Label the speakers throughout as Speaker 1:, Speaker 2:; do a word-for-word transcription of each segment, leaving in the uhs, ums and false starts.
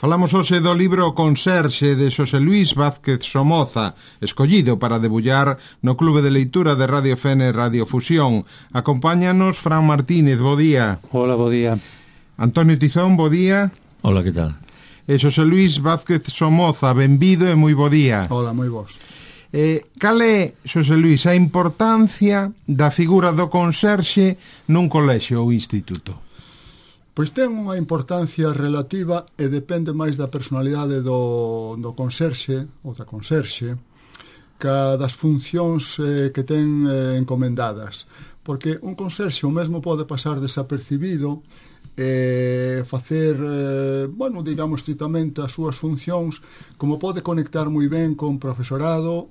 Speaker 1: Falamos hoxe do libro Conserxe de Xosé Luís Vázquez Somoza, escollido para debullar no Clube de Leitura de Radio Fene Radio Fusión. Acompáñanos Fran Martínez, bo día.
Speaker 2: Hola, bo día.
Speaker 1: Antonio Tizón, bo día.
Speaker 3: Hola, que tal?
Speaker 1: E Xosé Luís Vázquez Somoza, benvido e moi bo día.
Speaker 4: Hola, moi vos.
Speaker 1: Eh, cal é, Xosé Luís, a importancia da figura do conserxe nun colexio ou instituto?
Speaker 4: Pois ten unha importancia relativa e depende máis da personalidade do, do conserxe ou da conserxe ca das funcións eh, que ten eh, encomendadas. Porque un conserxe o mesmo pode pasar desapercibido e facer, eh, bueno, digamos, estritamente as súas funcións, como pode conectar moi ben con profesorado,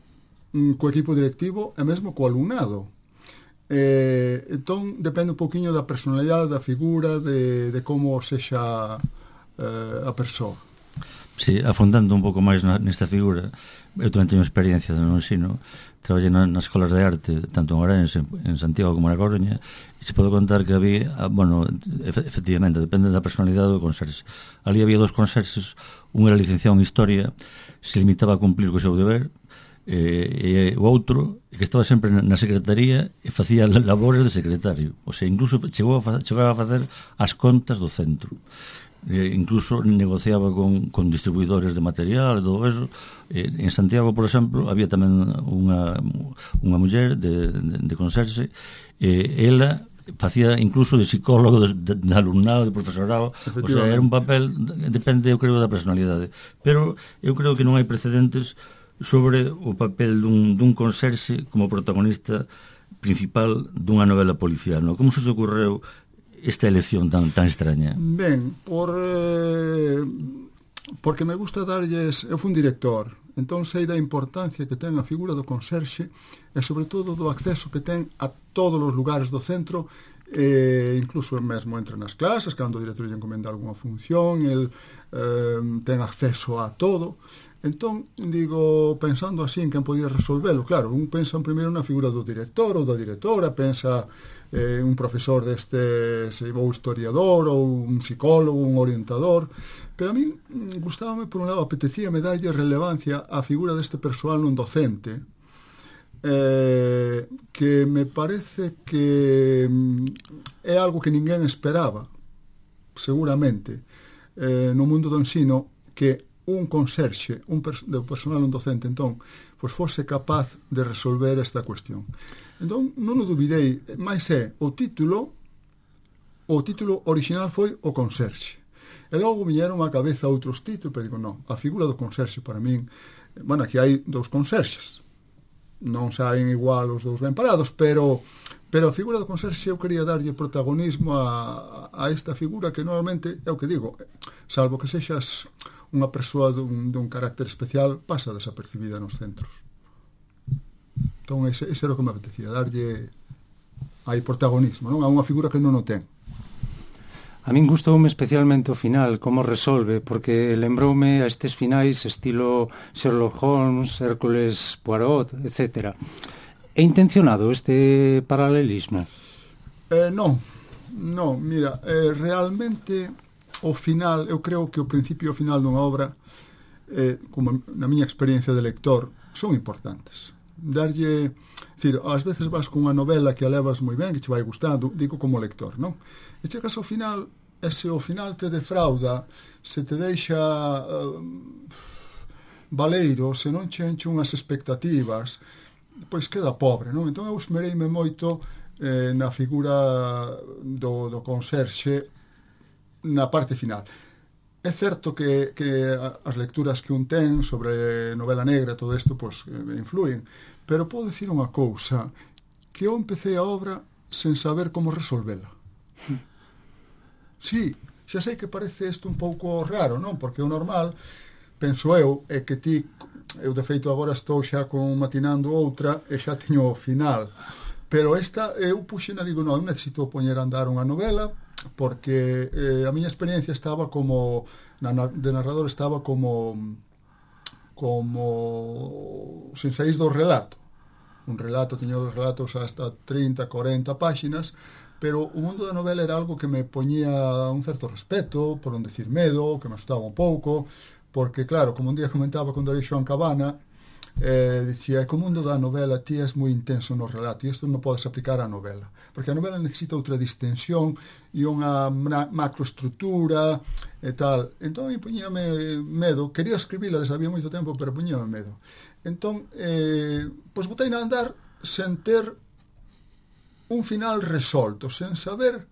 Speaker 4: co equipo directivo e mesmo co alumnado. Eh, entón, depende un poquinho da personalidade, da figura, de, de como sexa eh, a persoa.
Speaker 3: Sí, afondando un pouco máis na, nesta figura, eu tamén teño experiencia no ensino, traballei na, nas escolas de arte, tanto en Ourense, en Santiago como na Coruña, e se podo contar que había, bueno, efectivamente, depende da personalidade do conserxe. Ali había dos conserxes, un era licenciado en Historia, se limitaba a cumplir co seu deber, e, e o outro que estaba sempre na secretaría e facía labores de secretario, o sea, incluso chegou a, fa, chegou a facer as contas do centro, e incluso negociaba con, con distribuidores de material e todo eso. E, en Santiago, por exemplo, había tamén unha, unha muller de, de, de conserxe, e ela facía incluso de psicólogo, de, de, de alumnado, de profesorado, o sea, era un papel, depende, eu creo, da personalidade, pero eu creo que non hai precedentes sobre o papel dun, dun conserxe como protagonista principal dunha novela policial, non? Como se te ocorreu esta elección tan, tan extraña?
Speaker 4: Ben, por, eh, porque me gusta darlles... Eu fui un director, entón sei da importancia que ten a figura do conserxe e sobre todo do acceso que ten a todos os lugares do centro, e incluso mesmo entre nas clases, cando o director lle encomenda algunha función, el eh, ten acceso a todo. Entón, digo, pensando así en quen podía resolvelo, claro, un pensa en primeiro na figura do director ou da directora, pensa en eh, un profesor deste, se ou historiador, ou un psicólogo, un orientador, pero a mí gustábame, por un lado, apetecíame darlle relevancia á figura deste persoal non docente, eh, que me parece que é algo que ninguén esperaba, seguramente, eh, no mundo do ensino, que un conserxe, un pers- de personal non docente, entón, pois fose capaz de resolver esta cuestión. Entón, non o duvidei, máis é, o título, o título original foi o conserxe. E logo viñeron á cabeza outros títulos, pero digo, non, a figura do conserxe para min, bueno, aquí hai dous conserxes, non saen igual os dous ben parados, pero pero a figura do conserxe eu quería darlle protagonismo a, a esta figura que normalmente, é o que digo, salvo que sexas unha persoa dun, dun carácter especial, pasa desapercibida nos centros. Entón, ese, ese era o que me apetecía, darlle aí protagonismo, non? A unha figura que non o ten.
Speaker 2: A min gustoume especialmente o final, como resolve, porque lembroume a estes finais estilo Sherlock Holmes, Hércules Poirot, etcétera. É intencionado este paralelismo?
Speaker 4: Eh, non, non, mira, eh, realmente o final, eu creo que o principio e o final dunha obra, eh, como na miña experiencia de lector, son importantes. Darlle, decir, ás veces vas con unha novela que a levas moi ben, que che vai gustando, digo como lector, non? E chegas ao final, e se o final te defrauda, se te deixa uh, baleiro, se non che enche unhas expectativas, pois queda pobre, non? Entón eu esmereime moito eh, na figura do, do conserxe na parte final. É certo que, que as lecturas que un ten sobre novela negra, todo isto, pois, influen, pero podo dicir unha cousa, que eu empecé a obra sen saber como resolvela. Sí, xa sei que parece isto un pouco raro, non? Porque o normal, penso eu, é que ti, eu de feito agora estou xa con matinando outra e xa teño o final, pero esta, eu puxena, digo, non, eu necesito poñer a andar unha novela, porque eh, a miña experiencia estaba como na, de narrador estaba como como sin saís do relato, un relato, tiño dos relatos hasta trinta, cuarenta páxinas, pero o mundo da novela era algo que me poñía un certo respeto, por non decir medo, que me asustaba un pouco, porque, claro, como un día comentaba con Darío Xoan Cabana, eh, dicía que o mundo da novela ti és moi intenso no relato, e isto non podes aplicar á novela, porque a novela necesita outra distensión e unha macroestructura e tal. Entón, a mí poñíame medo, quería escribila desde había moito tempo, pero poñíame medo. Entón, eh, pois botei a andar sen ter un final resolto, sen saber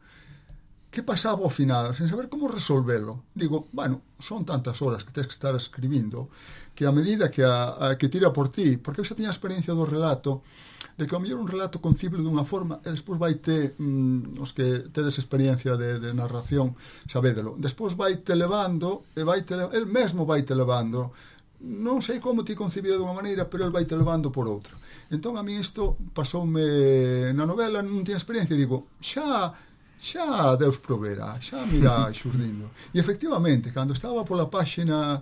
Speaker 4: que pasaba ao final, sen saber como resolvelo. Digo, bueno, son tantas horas que tens que estar escribindo que a medida que, a, a, que tira por ti, porque eu xa tiña a experiencia do relato, de que ao mellor un relato concible dunha forma e despois vai te, mm, os que tedes experiencia de, de narración, sabédelo, despois vai te levando, e vai te, el mesmo vai te levando, non sei como ti concibira dunha maneira, pero el vai te levando por outra. Entón, a mí isto pasoume na novela, non tiña experiencia, digo, xa, xa Deus proverá, xa mirá xurdindo. E efectivamente, cando estaba pola páxina,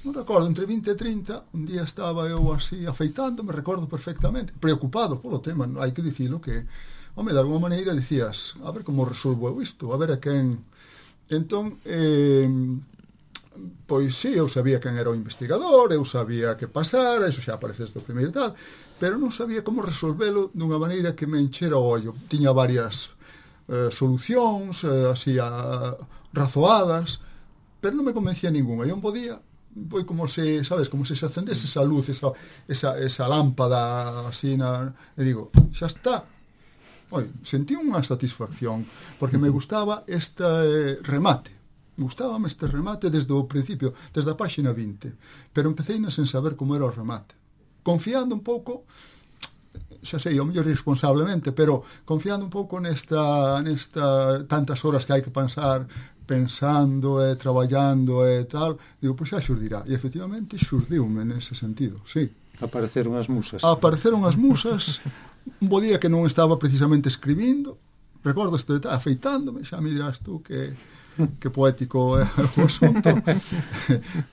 Speaker 4: non recordo, entre vinte e trinta, un día estaba eu así afeitando, me recordo perfectamente, preocupado polo tema, hai que dicilo que, home, de alguma maneira dicías, a ver como resolvo eu isto, a ver a quen... Entón, eh, pois sí, eu sabía quen era o investigador, eu sabía que pasara, eso xa aparece desde o primeiro tal, pero non sabía como resolvelo dunha maneira que me enchera o ollo. Tiña varias eh, solucións, eh, así a, razoadas, pero non me convencía ninguna. Eu non podía, foi como se, sabes, como se se acendese esa luz, esa, esa, esa lámpada así na... E digo, xa está. Oi, sentí unha satisfacción, porque me gustaba este eh, remate. Gustábame este remate desde o principio, desde a páxina vinte, pero empecé sen saber como era o remate. Confiando un pouco, xa sei, o mellor irresponsablemente, pero confiando un pouco nesta, nesta tantas horas que hai que pensar, pensando e traballando e tal, digo, pois xa xurdirá. E efectivamente xurdiume nese sentido, sí.
Speaker 2: Apareceron as musas.
Speaker 4: Apareceron as musas, un bo día que non estaba precisamente escribindo, recordo este detalle, afeitándome, xa me dirás tú que... que poético é o asunto,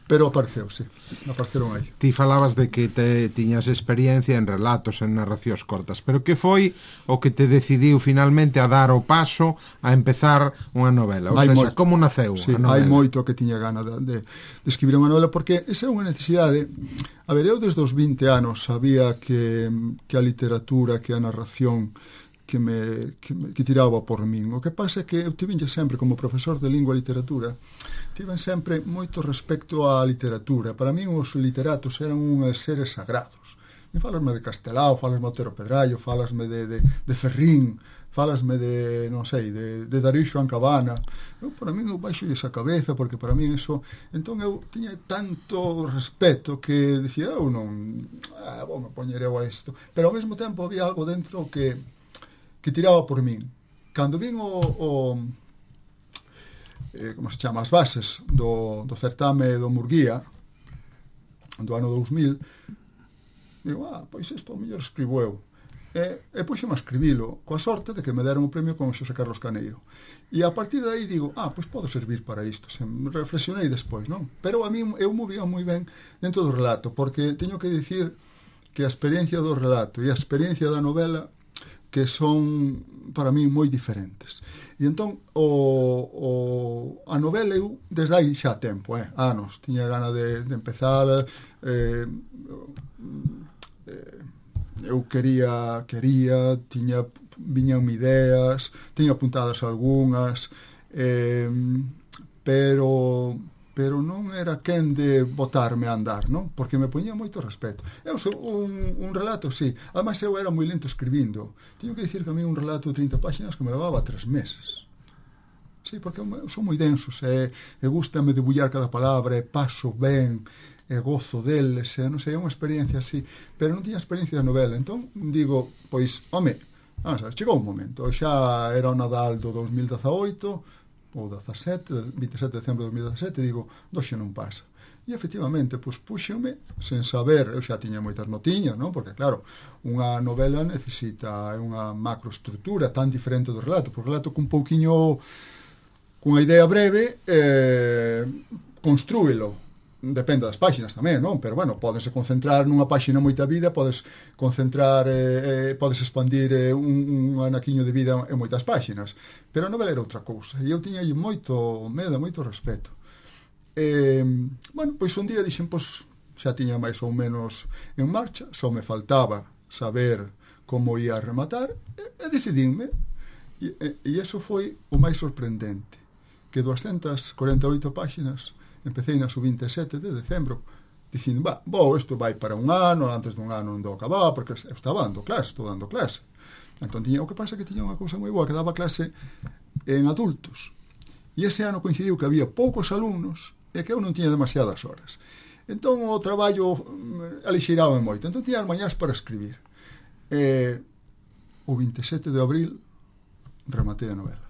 Speaker 4: pero apareceu, sí, apareceron aí.
Speaker 1: Ti falabas de que te tiñas experiencia en relatos, en narracións cortas, pero que foi o que te decidiu finalmente a dar o paso a empezar unha novela? O sea, como naceu
Speaker 4: sí,
Speaker 1: a novela?
Speaker 4: Hai moito que tiña gana de, de, de escribir unha novela, porque esa é unha necesidade. A ver, eu desde os vinte anos sabía que, que a literatura, que a narración que me, que me que tiraba por min. O que pasa é que eu tivenlle sempre, como profesor de lingua e literatura, tiven sempre moito respecto á literatura. Para min os literatos eran uns seres sagrados. Me falasme de Castelao, falasme de Otero Pedrallo, falasme de, de, de Ferrín, falasme de, non sei, de, de Darío Xoan Cabana. Eu, para min, eu baixo esa cabeza, porque para min eso... Entón, eu tiña tanto respeto que dicía, eu non... Ah, vou me poñer eu a isto. Pero ao mesmo tempo había algo dentro que... que tiraba por min. Cando vin o, o eh, como se chama, as bases do, do certame do Murguía do ano dous mil, digo, ah, pois isto o mellor escribo eu. E, e puxeme a escribilo, coa sorte de que me deron o premio con Xosé Carlos Caneiro. E a partir de aí digo, ah, pois podo servir para isto. Se reflexionei despois, non? Pero a mí eu movía moi ben dentro do relato, porque teño que dicir que a experiencia do relato e a experiencia da novela que son para mí moi diferentes. E entón o, o, a novela eu desde aí xa tempo, eh, anos, tiña gana de, de empezar, eh, eh, eu quería, quería, tiña, viñan ideas, tiña apuntadas algunhas, eh, pero... pero non era quen de botarme a andar, non? Porque me poñía moito respeto. Eu sou un, un relato, sí. Ademais, eu era moi lento escribindo. Teño que dicir que a mí un relato de trinta páxinas que me levaba tres meses. Sí, porque eu sou moi denso, e, e gustame debullar cada palabra, e paso ben, e gozo deles, e non sei, é unha experiencia así. Pero non tiña experiencia de novela. Entón, digo, pois, home, vamos a ver, chegou un momento. Xa era o Nadal do dos mil dezaoito, ou dezasete, vinte e sete de decembro de dos mil dezasete, digo, doxe non pasa. E efectivamente, pois puxome, sen saber, eu xa tiña moitas notiñas, non? Porque claro, unha novela necesita unha macroestructura tan diferente do relato, porque o relato cun pouquiño, cunha idea breve, eh, construílo. depende das páxinas tamén, non? Pero, bueno, podes concentrar nunha páxina moita vida, podes concentrar, eh, eh, podes expandir eh, un, un anaquiño de vida en moitas páxinas. Pero a novela era outra cousa, e eu tiña aí moito medo, moito respeto. Eh, bueno, pois un día dixen, pois, xa tiña máis ou menos en marcha, só me faltaba saber como ia rematar, e, e decidinme, e, e, e eso foi o máis sorprendente, que doscientas corenta e oito páxinas empecé na sub vinte e sete de decembro dicindo, va, bo, isto vai para un ano, antes dun ano non do acababa, porque eu estaba dando clase, estou dando clase. Entón, tiña, o que pasa que tiña unha cousa moi boa, que daba clase en adultos. E ese ano coincidiu que había poucos alumnos e que eu non tiña demasiadas horas. Entón, o traballo alixeiraba moito. Entón, tiña as mañás para escribir. E o vinte e sete de abril rematei a novela.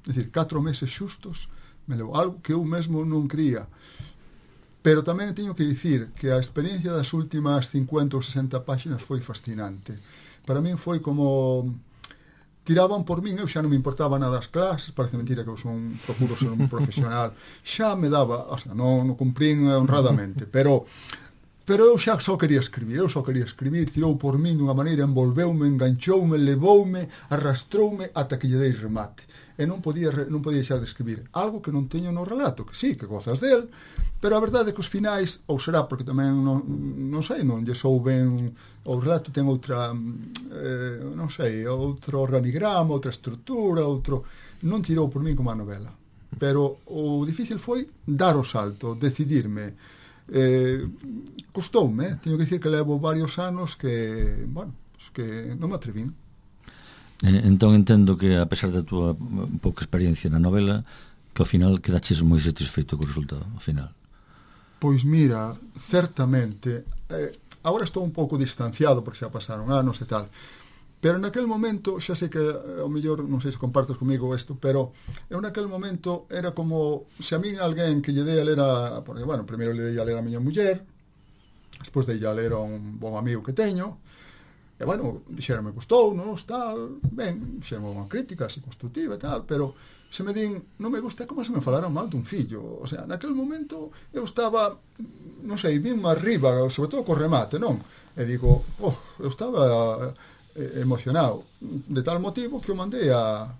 Speaker 4: É dicir, catro meses xustos me levou algo que eu mesmo non cría. Pero tamén teño que dicir que a experiencia das últimas cincuenta ou sesenta páxinas foi fascinante. Para min foi como tiraban por min, eu xa non me importaba nada as clases, parece mentira que eu son, procuro ser un profesional, xa me daba, o sea, non, non cumprín honradamente, pero pero eu xa só quería escribir, eu só quería escribir, tirou por min dunha maneira, envolveume, enganchoume, levoume, arrastroume ata que lle dei remate. E non podía, non podía deixar de escribir algo que non teño no relato, que sí, que gozas del, pero a verdade é que os finais, ou será porque tamén non, non sei, non lle sou ben, o relato ten outra eh, non sei, outro organigrama, outra estrutura, outro, non tirou por min como a novela, pero o difícil foi dar o salto, decidirme. Eh, custoume, eh? Teño que dicir que levo varios anos que, bueno, pues que non me atrevín.
Speaker 3: Eh, entón entendo que, a pesar da túa pouca experiencia na novela, que ao final quedaches moi satisfeito co resultado, ao final.
Speaker 4: Pois mira, certamente, eh, agora estou un pouco distanciado porque xa pasaron anos e tal, pero naquel momento, xa sei que ao mellor, non sei se compartes comigo isto, pero eu naquel momento era como se a min alguén que lle dei a ler a, porque, bueno, primeiro lle dei a ler a miña muller, despois dei a ler a un bon amigo que teño, e, bueno, dixeronme gustou, nos, tal, ben, fixeronme unha crítica así constructiva e tal, pero se me din, non me gusta, como se me falaron mal dun fillo, o sea, naquel momento eu estaba, non sei, vin máis arriba, sobre todo co remate, non? E digo, oh, eu estaba eh, emocionado, de tal motivo que o mandei a,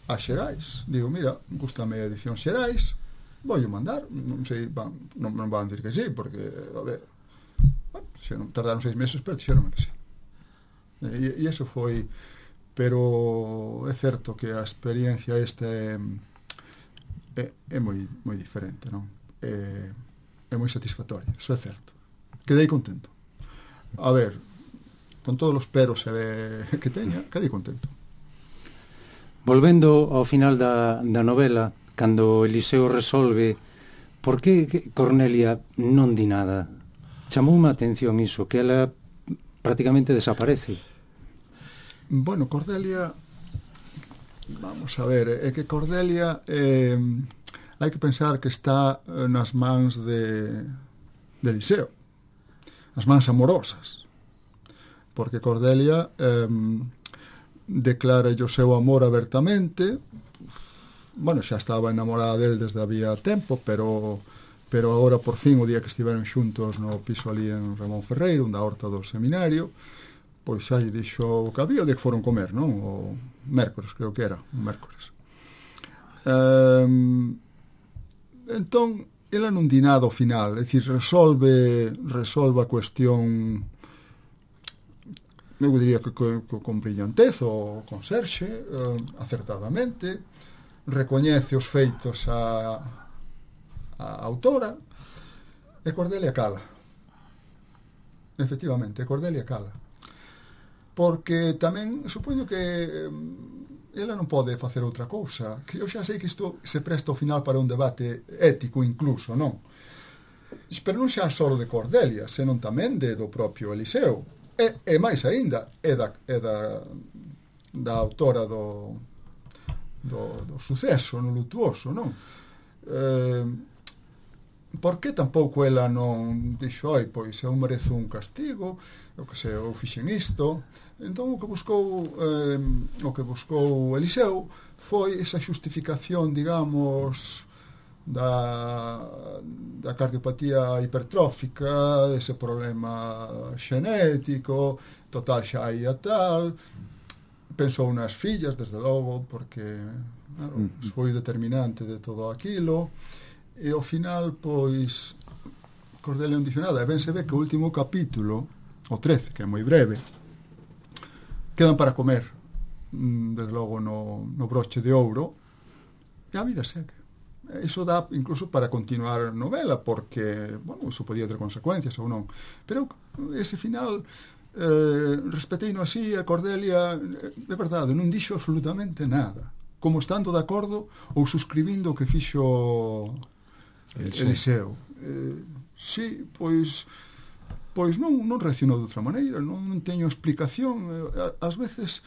Speaker 4: a Xerais, digo, mira, gustame a edición Xerais, vou mandar, non sei, van, non, non van dir que sí, porque, a ver, bueno, xe non tardaron seis meses, pero dixeronme que sí. E, e eso foi, pero é certo que a experiencia esta é, é, é moi, moi diferente, non? É, é moi satisfactoria, eso é certo. Quedei contento. A ver, con todos os peros eh, que teña, quedei contento.
Speaker 2: Volvendo ao final da, da novela, cando Eliseo resolve por que Cornelia non di nada, chamoume a atención iso, que ela prácticamente desaparece.
Speaker 4: Bueno, Cordelia, vamos a ver, é que Cordelia eh, hai que pensar que está nas mans de, de Eliseo, as mans amorosas, porque Cordelia eh, declara o seu amor abertamente, bueno, xa estaba enamorada del desde había tempo, pero pero agora por fin, o día que estiveron xuntos no piso ali en Ramón Ferreiro, da horta do seminario, pois xa lle dixo o que había, o día que foron comer, non? O mércores, creo que era, un mércores. Um, entón, ela non di nada ao final, é dicir, resolve, resolve a cuestión, eu diría que con, con brillantez, o con Serxe, eh, acertadamente, recoñece os feitos a, a autora, e Cordelia cala. Efectivamente, Cordelia cala. Porque tamén supoño que ela non pode facer outra cousa, que eu xa sei que isto se presta ao final para un debate ético incluso, non? Pero non xa só de Cordelia, senón tamén de do propio Eliseo, e, e máis aínda é da, é da, da autora do, do, do suceso no lutuoso, non? Eh, por que tampouco ela non dixo, oi, pois eu merezo un castigo, o que sei, eu fixen isto. Entón o que buscou eh, o que buscou Eliseo foi esa xustificación, digamos, da, da cardiopatía hipertrófica, ese problema xenético, total xa hai a tal, pensou nas fillas, desde logo, porque claro, foi determinante de todo aquilo, e ao final, pois, Cordelia non dixo nada, e ben se ve que o último capítulo, o trece, que é moi breve, quedan para comer, desde logo no, no broche de ouro, e a vida segue. Iso dá incluso para continuar a novela, porque, bueno, iso podía ter consecuencias ou non, pero ese final eh, respeteino así, a Cordelia, é verdade, non dixo absolutamente nada, como estando de acordo ou suscribindo o que fixo Eliseo. Eliseo. Eh, sí, pois pois non, non reaccionou de outra maneira, non, non teño explicación. Ás veces,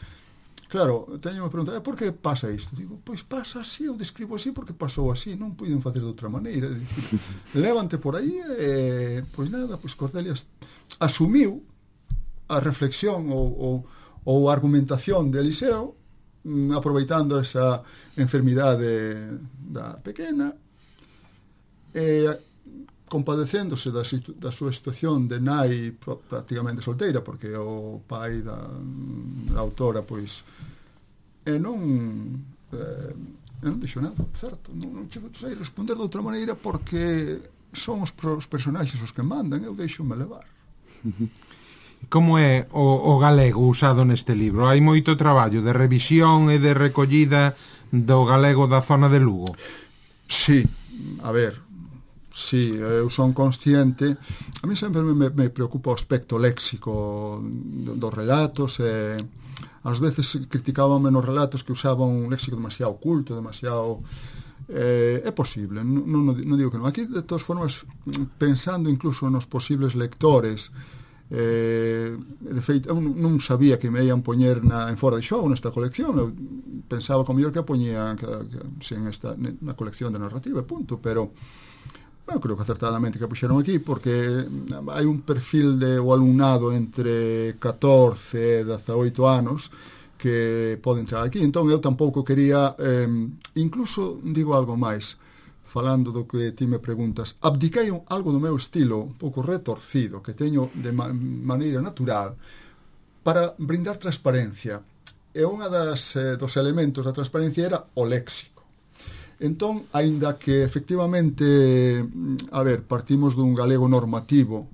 Speaker 4: claro, teño me preguntar, por que pasa isto? Digo, pois pasa así, eu describo así porque pasou así, non puiden facer de outra maneira. Dicir, levante por aí e, pois nada, pois Cordelia asumiu a reflexión ou, ou, ou a argumentación de Eliseo, aproveitando esa enfermidade da pequena, e compadecéndose da, situ- da súa situación de nai prácticamente solteira, porque o pai da, da autora, pois, e non eh, e non dixo nada, certo, non, non sei responder de outra maneira, porque son os, os personaxes os que mandan, eu deixo-me levar.
Speaker 1: Como é o, o galego usado neste libro? Hai moito traballo de revisión e de recollida do galego da zona de Lugo?
Speaker 4: Sí, a ver, sí, eu son consciente. A mí sempre me, me preocupa o aspecto léxico dos relatos, e ás veces criticábame nos relatos que usaban un léxico demasiado culto, demasiado... Eh, é posible, non, non, non digo que non. Aquí, de todas formas, pensando incluso nos posibles lectores, eh, de feito, eu non sabía que me ian poñer na, en fora de xogo nesta colección. Eu pensaba como mellor que a poñía que, que, sin esta, na colección de narrativa, punto, pero... Eu creo que acertadamente que puxeron aquí, porque hai un perfil de o alumnado entre catorce e dezaoito anos que pode entrar aquí. Entón eu tampouco quería, eh, incluso digo algo máis, falando do que ti me preguntas, abdiquei algo do meu estilo un pouco retorcido, que teño de ma- maneira natural, para brindar transparencia. E unha das, eh, dos elementos da transparencia era o léxico. Entón, aínda que efectivamente, a ver, partimos dun galego normativo,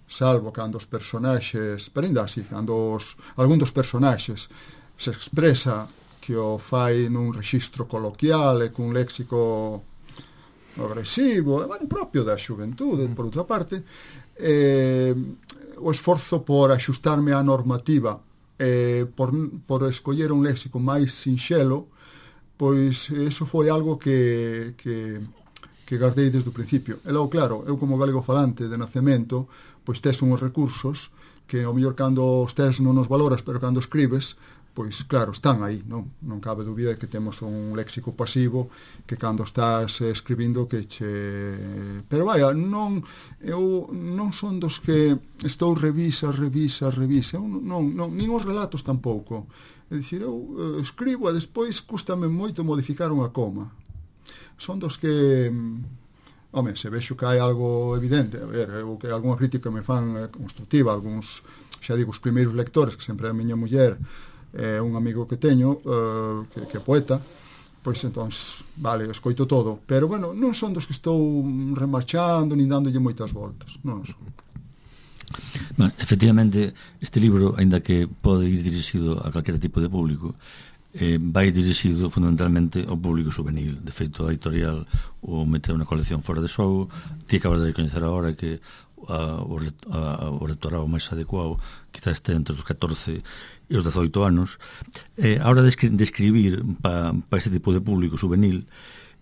Speaker 4: salvo cando os personaxes, pero ainda así, cando os, algún dos personaxes se expresa que o fai nun rexistro coloquial e cun léxico agresivo, bueno, propio da xuventude, por outra parte, eh, o esforzo por axustarme á normativa, eh, por, por escoller un léxico máis sinxelo, pois eso foi algo que, que, que guardei desde o principio. E logo, claro, eu como galego falante de nacemento, pois tes uns recursos que ao mellor cando os tes non os valoras, pero cando escribes, pois claro, están aí, non? Non cabe dúbida de que temos un léxico pasivo que cando estás escribindo que che... Pero vaya, non, eu non son dos que estou revisa, revisa, revisa, eu non, non, nin os relatos tampouco. É dicir, eu uh, escribo e despois cústame moito modificar unha coma. Son dos que, home, se vexo que hai algo evidente, a ver, eu que algunha crítica me fan eh, constructiva, algúns, xa digo, os primeiros lectores, que sempre é a miña muller, é eh, un amigo que teño, uh, que, que é poeta, pois entón, vale, escoito todo, pero, bueno, non son dos que estou remarchando, nin dándolle moitas voltas, non son.
Speaker 3: Bueno, efectivamente, este libro, aínda que pode ir dirixido a calquera tipo de público, eh, vai dirixido fundamentalmente ao público juvenil. De feito, a editorial o meteu unha colección fora de xogo. Ti acabas de recoñecer agora que a, o, a, o rectorado máis adecuado quizás este entre os catorce e os dezoito anos. Eh, a hora de, escri- de escribir para pa este tipo de público juvenil,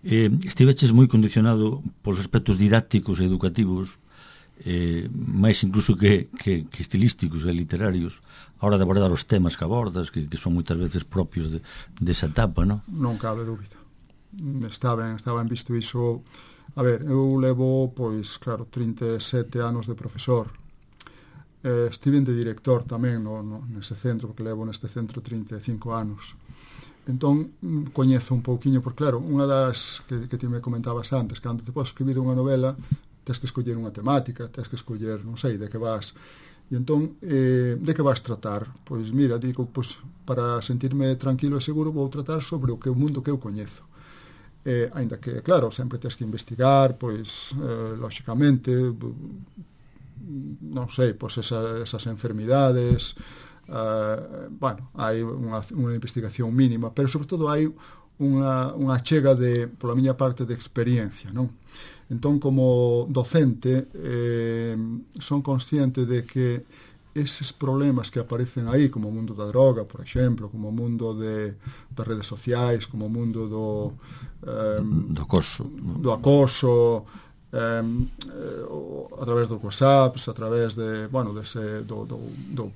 Speaker 3: eh, estiveches moi condicionado polos aspectos didácticos e educativos, eh, máis incluso que, que, que estilísticos e literarios, a hora de abordar os temas que abordas, que, que son moitas veces propios de, desa etapa, non?
Speaker 4: Non cabe dúbida. Está ben, está ben visto iso. A ver, eu levo, pois, claro, trinta e sete anos de profesor. Eh, estive de director tamén no, no, nese centro, porque levo neste centro trinta e cinco anos. Entón, coñezo un pouquiño, porque, claro, unha das que, que ti me comentabas antes, cando te podes escribir unha novela, tens que escoller unha temática, tens que escoller, non sei, de que vas. E entón, eh, de que vas tratar? Pois mira, digo, pois, para sentirme tranquilo e seguro vou tratar sobre o que o mundo que eu coñezo. Eh, ainda que, claro, sempre tens que investigar, pois, eh, lóxicamente, non sei, pois esa, esas enfermidades, eh, bueno, hai unha, unha investigación mínima, pero sobre todo hai unha, unha chega de, pola miña parte, de experiencia, non? Entón, como docente, eh, son consciente de que eses problemas que aparecen aí, como o mundo da droga, por exemplo, como o mundo de, das redes sociais, como o mundo do eh,
Speaker 3: do acoso,
Speaker 4: do acoso eh, a través dos WhatsApps, a través de, bueno, dese, do, do, do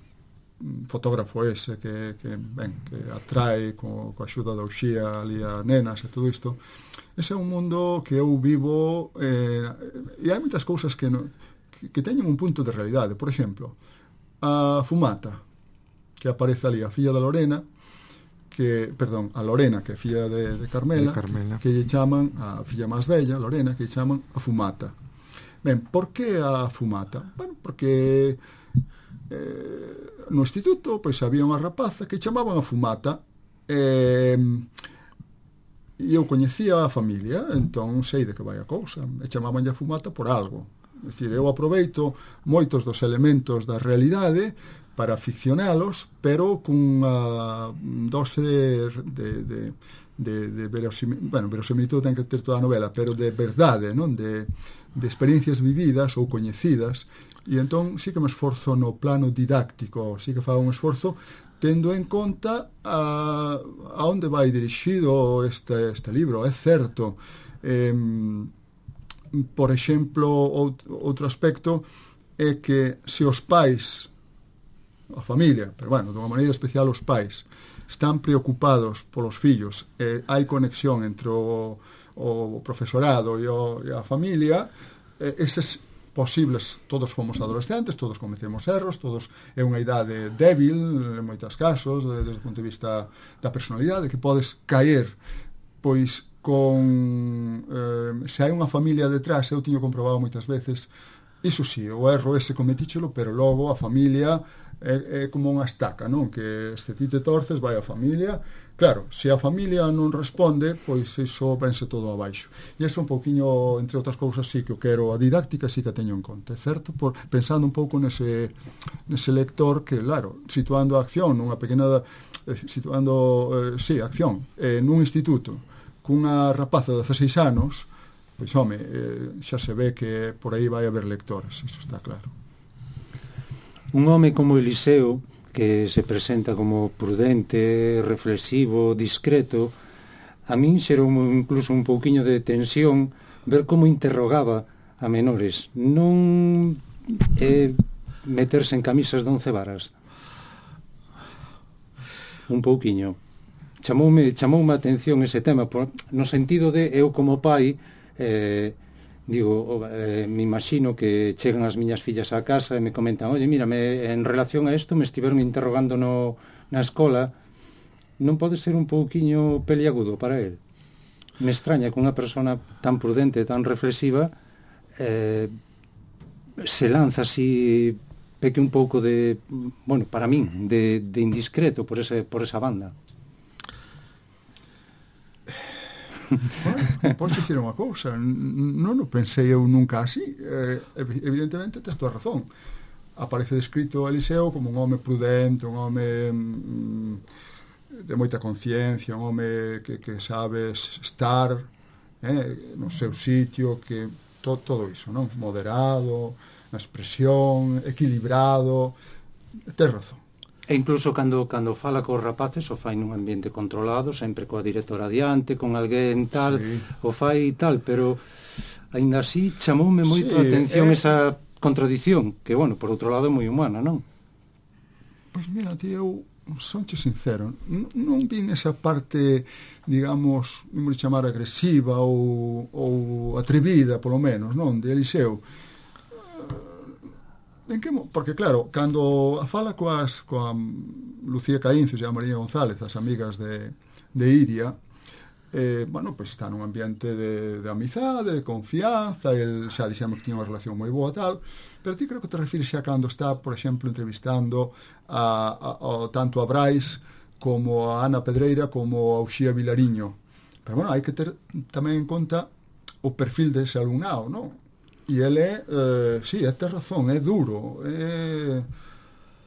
Speaker 4: fotógrafo ese que, que, ben, que atrae co, co axuda da uxía ali a nenas e todo isto. Ese é un mundo que eu vivo eh, e hai moitas cousas que, no, que, que teñen un punto de realidade. Por exemplo, a Fumata, que aparece ali, a filla da Lorena, que, perdón, a Lorena, que é filla de, de, Carmela,
Speaker 1: de Carmela,
Speaker 4: que lle chaman, a filla máis bella, Lorena, que lle chaman a Fumata. Ben, por que a Fumata? Bueno, porque eh, no instituto pois había unha rapaza que chamaban a Fumata, e e eu coñecía a familia, entón sei de que vai a cousa, e chamaban a Fumata por algo. É dicir, eu aproveito moitos dos elementos da realidade para ficcionalos, pero cunha dose de, de, de, de verosimilitud, bueno, verosimilitud ten que ter toda a novela, pero de verdade, non? De, de experiencias vividas ou coñecidas, e entón sí que me esforzo no plano didáctico, sí que fago un esforzo tendo en conta a, a onde vai dirixido este, este libro. É certo, eh, por exemplo, outro aspecto é que se os pais, a familia, pero bueno, de unha maneira especial os pais, están preocupados polos fillos, e hai conexión entre o, o profesorado e, o, e a familia, eh, eses posibles, todos fomos adolescentes, todos cometemos erros, todos é unha idade débil en moitos casos, desde o punto de vista da personalidade, que podes caer pois con eh, se hai unha familia detrás, eu tiño comprobado moitas veces, iso sí, o erro ese cometíchelo, pero logo a familia é, é como unha estaca, non? Que se ti te torces, vai a familia. Claro, se a familia non responde, pois iso vense todo abaixo. E iso un pouquiño, entre outras cousas, sí que o quero, a didáctica sí que teño en conta, certo? Por, pensando un pouco nese, nese lector que, claro, situando a acción nunha pequena, eh, situando, eh, sí, acción, eh, nun instituto, cunha rapaza de dezaseis anos, pois, home, eh, xa se ve que por aí vai haber lectores, iso está claro.
Speaker 2: Un home como Eliseo, que se presenta como prudente, reflexivo, discreto, a min xerou incluso un pouquiño de tensión ver como interrogaba a menores. Non é meterse en camisas de once varas. Un pouquiño. Chamoume, chamoume a atención ese tema, por, no sentido de eu como pai, eh, digo, eh, me imagino que chegan as miñas fillas á casa e me comentan, oye, mira, me, en relación a isto me estiveron interrogando no, na escola, non pode ser un pouquiño peliagudo para él? Me extraña que unha persona tan prudente, tan reflexiva, eh, se lanza así, peque un pouco de, bueno, para min, de, de indiscreto por, ese, por esa banda.
Speaker 4: Bueno, podes dicir unha cousa, non o pensei eu nunca así, eh, evidentemente tes toda razón. Aparece descrito Eliseo como un home prudente, un home mm, de moita conciencia, un home que, que sabe estar eh, no seu sitio, que to, todo iso, non? Moderado, na expresión, equilibrado, tes razón.
Speaker 2: E incluso cando, cando fala cos rapaces o fai nun ambiente controlado, sempre coa directora adiante, con alguén tal, sí. O fai tal, pero aínda así chamoume moito sí, a atención eh... esa contradición, que, bueno, por outro lado é moi humana, non?
Speaker 4: Pois mira, tío, eu sonche sincero, non, non vin esa parte, digamos, imos chamar agresiva ou, ou atrevida, polo menos, non, de Eliseo. En que, porque claro, cando a fala coas, coa Lucía Caíncio e a María González, as amigas de, de Iria, eh, bueno, pois está nun ambiente de, de amizade, de confianza, el xa dixemos que tiña unha relación moi boa tal, pero ti creo que te refires xa cando está, por exemplo, entrevistando a, a, a, tanto a Brais como a Ana Pedreira como a Uxía Vilariño. Pero bueno, hai que ter tamén en conta o perfil dese alumnado, non? E ele, eh, sí, é ter razón, é duro, é,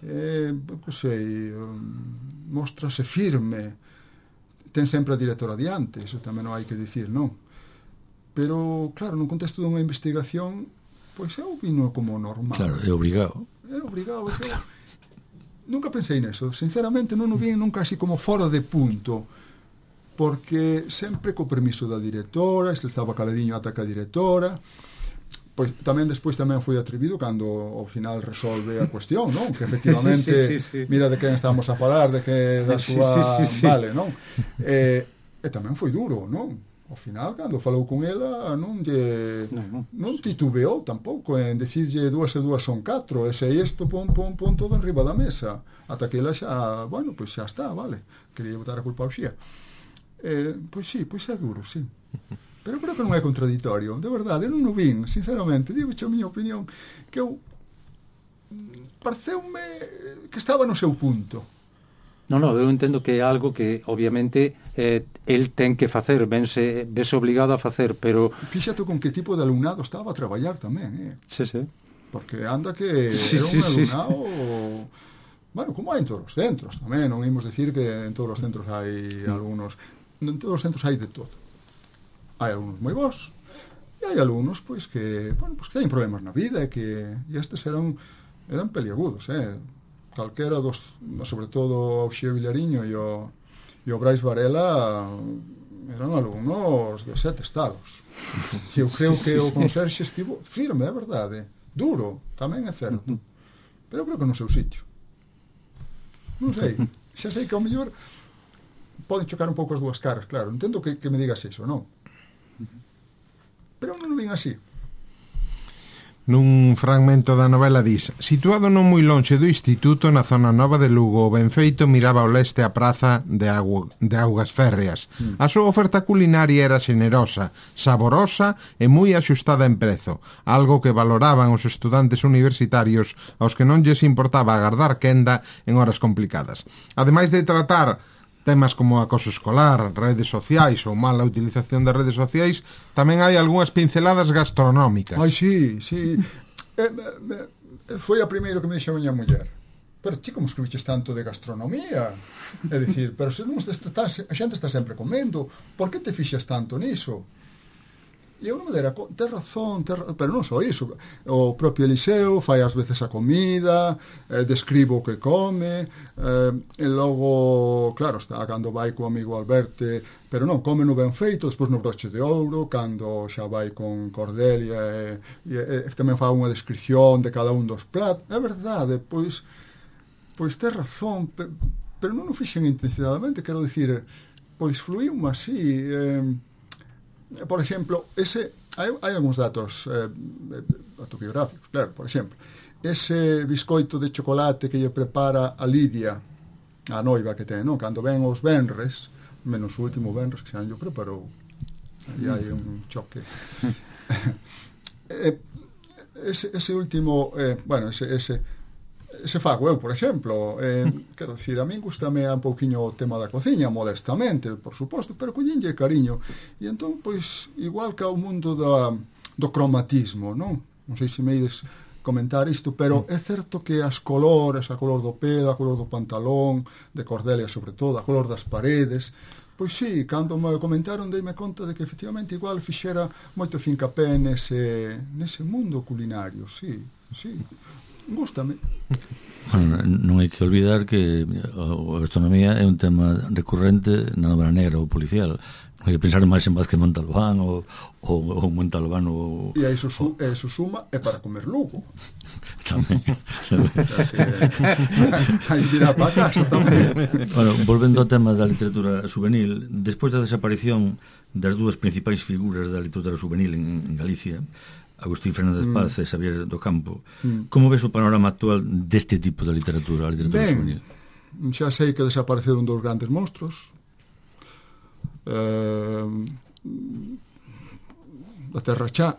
Speaker 4: é que sei, mostrase firme, ten sempre a directora adiante, eso tamén non hai que dicir, non? Pero, claro, nun contexto dunha investigación, pois eu vino como normal.
Speaker 3: Claro, é obrigado.
Speaker 4: É obrigado, é que claro. Nunca pensei neso, sinceramente non o vi nunca así como fora de punto, porque sempre co permiso da directora, se estaba caladiño ata que a directora. Pois tamén despois tamén foi atrevido cando ao final resolve a cuestión, non? Que efectivamente sí, sí, sí. Mira de quen estamos a falar, de que da súa sí, sí, sí, sí. Vale, non? E, e tamén foi duro, non? Ao final cando falou con ela non lle non, non titubeou tampouco en decirlle dúas e dúas son catro, e se isto pon pon pon todo enriba da mesa, ata que ela xa, bueno, pois xa está, vale. Quería botar a culpa ao Xía. Eh, pois sí, pois é duro, sí. Pero creo que non é contradictorio, de verdade, eu non o vin, sinceramente, digo a miña opinión, que eu pareceume que estaba no seu punto.
Speaker 2: Non, non, eu entendo que é algo que, obviamente, eh, el ten que facer, vense, vense obligado a facer, pero...
Speaker 4: Fíxate con que tipo de alumnado estaba a traballar tamén, eh?
Speaker 2: Sí, sí.
Speaker 4: Porque anda que
Speaker 2: sí,
Speaker 4: era
Speaker 2: sí,
Speaker 4: un alumnado...
Speaker 2: Sí.
Speaker 4: Bueno, como hai en todos os centros tamén, non imos decir que en todos os centros hai mm. algunos... En todos os centros hai de todo. Hai alumnos moi bons e hai alumnos pois que, bueno, pois que teñen problemas na vida e que e estes eran eran peliagudos, eh. Calquera dos, sobre todo o Uxía Vilariño e o e o Brais Varela eran alumnos de sete estados. E eu creo sí, que sí, o conserxe estivo firme, é verdade, duro, tamén é certo. Uh-huh. Pero eu creo que no seu sitio. Non sei, xa sei que ao mellor poden chocar un pouco as dúas caras, claro. Entendo que, que me digas iso, non? Pero non o vin así.
Speaker 1: Nun fragmento da novela dis: situado non moi lonxe do instituto, na zona nova de Lugo, o Benfeito miraba ao leste a praza de, Agu de Augas Férreas. Mm. A súa oferta culinaria era xenerosa, saborosa e moi axustada en prezo, algo que valoraban os estudantes universitarios aos que non lles importaba agardar quenda en horas complicadas. Ademais de tratar temas como acoso escolar, redes sociais ou mala utilización das redes sociais, tamén hai algunhas pinceladas gastronómicas.
Speaker 4: Ai, sí, sí. eh, eh, foi a primeiro que me dixo a miña muller. Pero ti como escribiches tanto de gastronomía? É dicir, pero se non está, a xente está sempre comendo, por que te fixas tanto niso? E eu non me dera, ter razón, ter, pero non só iso, o propio Eliseo fai ás veces a comida, eh, describo o que come, eh, e logo, claro, está cando vai co amigo Alberte, pero non, come no Benfeito, despois no Broche de Ouro, cando xa vai con Cordelia, e, e, e tamén fai unha descripción de cada un dos pratos, é verdade, pois, pois ter razón, pero, pero non o fixen intencionadamente, quero dicir, pois fluíu así, eh, por exemplo, ese hai, hai algúns datos eh, autobiográficos, claro, por exemplo, ese biscoito de chocolate que lle prepara a Lidia, a noiva que ten, non? Cando ven os venres, menos o último venres que xa yo preparou, aí hai un choque. eh, ese, ese último, eh, bueno, ese, ese ese fago eu, por exemplo, eh, quero dicir, a min gustame un pouquiño o tema da cociña, modestamente, por suposto, pero collinlle cariño. E entón, pois, igual que ao mundo da, do cromatismo, non? Non sei se me ides comentar isto, pero é certo que as colores, a color do pelo, a color do pantalón, de Cordelia sobre todo, a color das paredes, pois sí, cando me comentaron deime conta de que efectivamente igual fixera moito fincapé nese, nese mundo culinario, sí, sí. Gústame.
Speaker 3: Bueno, non hai que olvidar que a gastronomía é un tema recurrente na novela negra ou policial. Non hai que pensar máis en Vázquez Montalbán ou, ou, ou Montalbán ou...
Speaker 4: E a iso, su, a iso suma é para comer Lugo.
Speaker 3: Tamén.
Speaker 4: Aí dirá para casa tamén.
Speaker 3: Bueno, volvendo ao tema da literatura juvenil, despois da desaparición das dúas principais figuras da literatura juvenil en, en Galicia, Agustín Fernández Paz mm. e Xavier do Campo, mm. como ves o panorama actual deste tipo de literatura, a literatura
Speaker 4: ben,
Speaker 3: juvenil?
Speaker 4: Xa sei que desapareceron dos grandes monstruos, eh, da terra xa.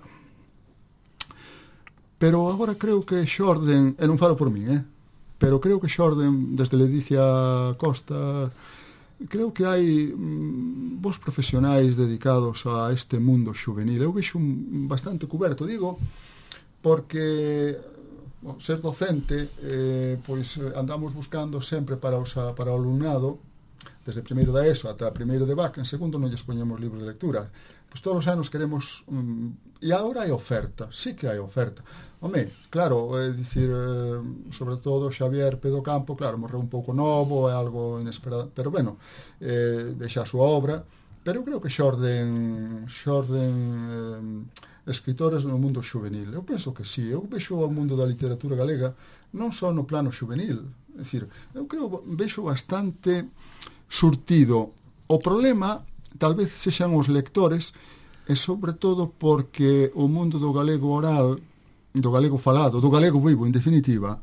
Speaker 4: Pero agora creo que xorden, e non falo por min, eh? pero creo que xorden desde Ledicia Costa, creo que hai mm, vos profesionais dedicados a este mundo xuvenil. Eu vexo un, bastante cuberto, digo, porque bueno, ser docente, eh, pois andamos buscando sempre para, os, para o alumnado, desde primeiro da ESO ata primeiro de B A C, en segundo non lles poñemos libros de lectura. Pois todos os anos queremos... Um, e agora hai oferta, sí que hai oferta. Home, claro, é dicir, eh, sobre todo Xavier Pedro Campo, claro, morreu un pouco novo, é algo inesperado, pero bueno, eh, deixa a súa obra, pero eu creo que xorden, xorden eh, escritores no mundo xuvenil. Eu penso que sí, eu vexo o mundo da literatura galega non só no plano xuvenil, é dicir, eu creo, vexo bastante surtido. O problema tal vez sexan os lectores, e sobre todo porque o mundo do galego oral, do galego falado, do galego vivo, en definitiva,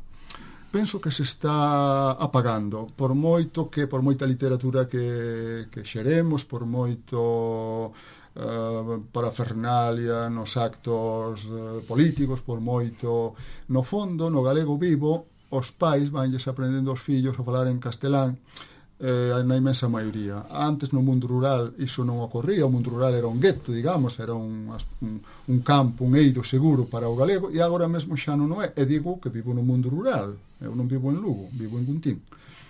Speaker 4: penso que se está apagando, por moito que, por moita literatura que, que xeremos, por moito uh, parafernalia nos actos uh, políticos, por moito, no fondo, no galego vivo, os pais vanlles aprendendo os fillos a falar en castelán, eh, na imensa maioría. Antes no mundo rural iso non ocorría, o mundo rural era un gueto, digamos, era un, un, un campo, un eido seguro para o galego, e agora mesmo xa non é. E digo que vivo no mundo rural, eu non vivo en Lugo, vivo en Guntín.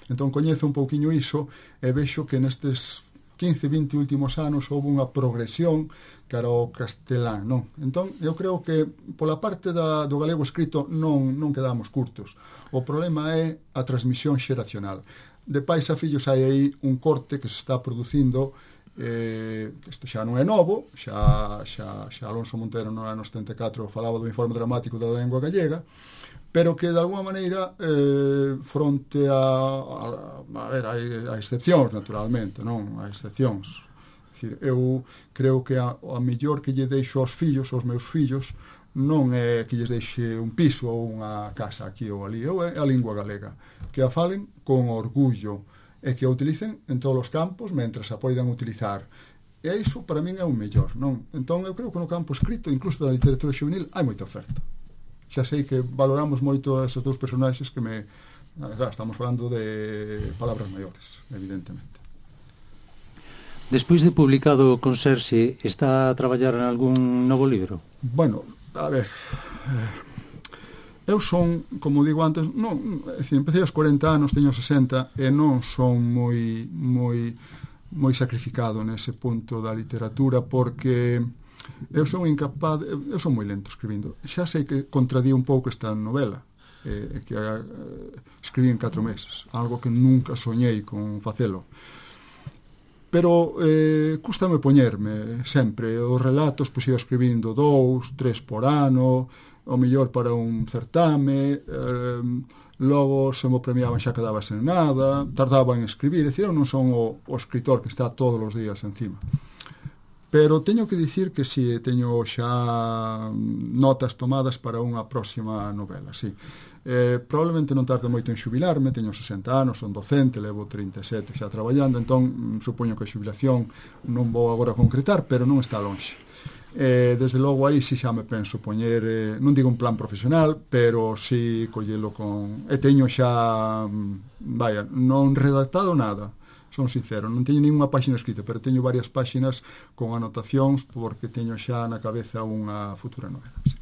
Speaker 4: Entón coñezo un pouquiño iso e vexo que nestes quince, vinte últimos anos houve unha progresión cara ao castelán, non? Entón, eu creo que pola parte da, do galego escrito non, non quedamos curtos. O problema é a transmisión xeracional. De pais a fillos hai aí un corte que se está producindo, eh, isto xa non é novo, xa, xa, xa Alonso Montero no ano setenta e catro falaba do informe dramático da lengua gallega, pero que de alguma maneira eh, fronte a, a, a ver, hai, hai excepcións naturalmente, non? Hai excepcións. É dicir, eu creo que a, a mellor que lle deixo aos fillos, aos meus fillos, non é que lles deixe un piso ou unha casa aquí ou ali, é a lingua galega, que a falen con orgullo e que a utilicen en todos os campos mentras a poidan utilizar. E iso para min é un mellor, non? Entón eu creo que no campo escrito, incluso da literatura juvenil, hai moita oferta. Xa sei que valoramos moito esos dous personaxes que me... Claro, estamos falando de palabras maiores, evidentemente.
Speaker 2: Despois de publicado con Serxe, está a traballar en algún novo libro?
Speaker 4: Bueno, a ver, eu son, como digo antes, non, é dicir, empecé aos corenta anos, teño sesenta, e non son moi moi moi sacrificado nese punto da literatura, porque eu son incapaz, eu son moi lento escribindo. Xa sei que contradí un pouco esta novela, eh, que eh, escribí en catro meses, algo que nunca soñei con facelo. Pero eh, cústame poñerme sempre. Os relatos pois iba escribindo dous, tres por ano, o mellor para un certame, eh, logo se mo premiaban xa quedaba sen nada, tardaba en escribir, é dicir, eu non son o, o escritor que está todos os días encima. Pero teño que dicir que si sí, teño xa notas tomadas para unha próxima novela, sí. Eh, probablemente non tarde moito en xubilarme, teño sesenta anos, son docente, levo trinta e sete xa traballando, entón supoño que a xubilación non vou agora concretar, pero non está lonxe. Eh, desde logo aí si xa me penso poñer, eh, non digo un plan profesional, pero si collelo con... E teño xa, vaya, non redactado nada, son sincero, non teño ninguna páxina escrita, pero teño varias páxinas con anotacións porque teño xa na cabeza unha futura novela, sí.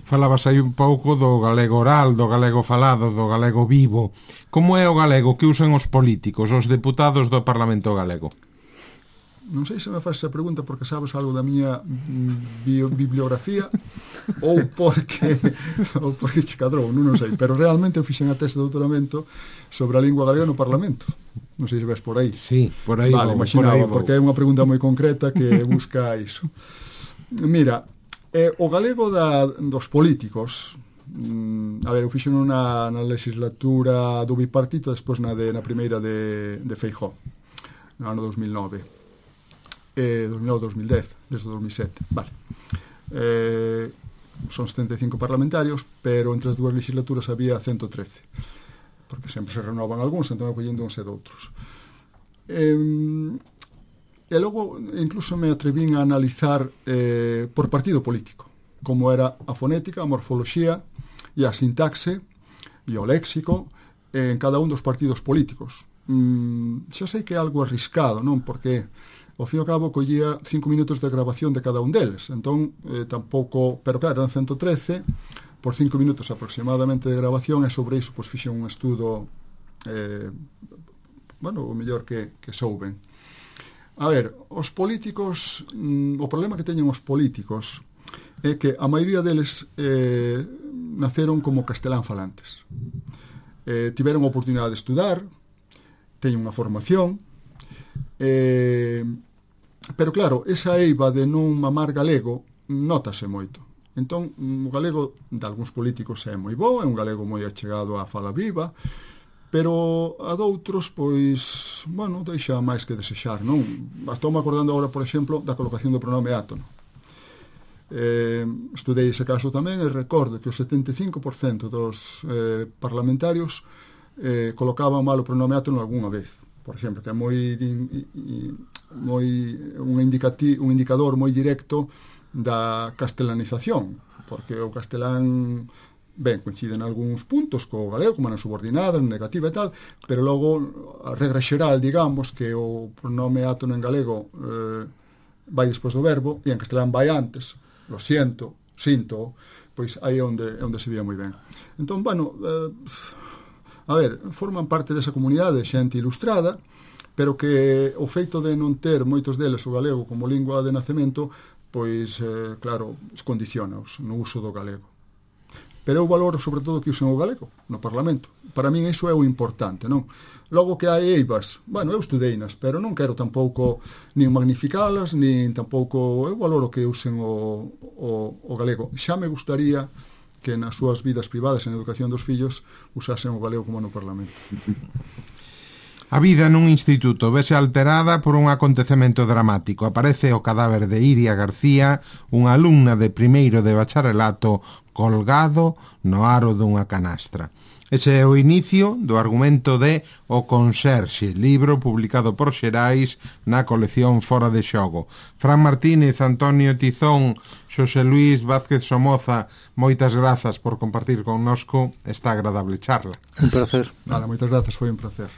Speaker 1: Falabas aí un pouco do galego oral, do galego falado, do galego vivo. Como é o galego que usan os políticos, os deputados do Parlamento galego?
Speaker 4: Non sei se me faz esa pregunta porque sabes algo da miña bio, bibliografía ou porque ou porque che cadrou, non, non sei, pero realmente eu fixen a tese de doutoramento sobre a lingua galega no Parlamento. Non sei se ves por aí.
Speaker 1: Sí, por aí.
Speaker 4: Vale,
Speaker 1: vou,
Speaker 4: imaginaba,
Speaker 1: por aí
Speaker 4: porque é unha pregunta moi concreta que busca iso. Mira, eh, o galego da, dos políticos, mm, a ver, eu fixen na, na legislatura do bipartito, despois na, de, na primeira de, de Feijóo, no ano dos mil nove. Eh, dos mil nove a dos mil dez, desde dos mil sete, vale. Eh, son setenta e cinco parlamentarios, pero entre as dúas legislaturas había ciento trece, porque sempre se renovan algúns, entón collendo uns e doutros. Eh, e logo incluso me atrevín a analizar eh, por partido político, como era a fonética, a morfoloxía e a sintaxe e o léxico en cada un dos partidos políticos. Mm, xa sei que é algo arriscado, non? Porque ao fin e ao cabo collía cinco minutos de grabación de cada un deles, entón eh, tampouco, pero claro, eran ciento trece por cinco minutos aproximadamente de grabación, e sobre iso pois fixen un estudo eh, bueno, o mellor que, que souben. A ver, os políticos, mm, o problema que teñen os políticos é que a maioría deles eh, naceron como castelán falantes. Eh, tiveron a oportunidade de estudar, teñen unha formación, eh, pero claro, esa eiva de non mamar galego notase moito. Entón, o galego de algúns políticos é moi bo, é un galego moi achegado á fala viva, pero a doutros, pois, bueno, deixa máis que desexar, non? Estou me acordando agora, por exemplo, da colocación do pronome átono. Eh, estudei ese caso tamén e recordo que o setenta e cinco por cento dos eh, parlamentarios eh, colocaban mal o pronome átono algunha vez, por exemplo, que é moi, moi un, indicati, un indicador moi directo da castelanización, porque o castelán ben, coinciden algúns puntos co galego, como na subordinada, na negativa e tal, pero logo a regra xeral, digamos, que o pronome átono en galego eh, vai despois do verbo e en castelán vai antes, lo siento, sinto, pois aí é onde, onde se vía moi ben. Entón, bueno, eh, a ver, forman parte desa comunidade xente ilustrada, pero que o feito de non ter moitos deles o galego como lingua de nacemento, pois, eh, claro, condicionaos no uso do galego. Pero eu valoro, sobre todo, que usen o galego no Parlamento. Para min iso é o importante, non? Logo que hai eivas, bueno, eu estudeinas, pero non quero tampouco nin magnificalas, nin tampouco... Eu valoro que usen o, o, o galego. Xa me gustaría que nas súas vidas privadas, en educación dos fillos, usasen o galego como no Parlamento.
Speaker 1: A vida nun instituto vese alterada por un acontecemento dramático. Aparece o cadáver de Iria García, unha alumna de primeiro de bacharelato, colgado no aro dunha canastra. Ese é o inicio do argumento de O Conserxe, libro publicado por Xerais na colección Fora de Xogo. Fran Martínez, Antonio Tizón, Xosé Luís Vázquez Somoza, moitas grazas por compartir connosco esta agradable charla.
Speaker 2: Un placer.
Speaker 4: Vale, moitas grazas, foi un placer.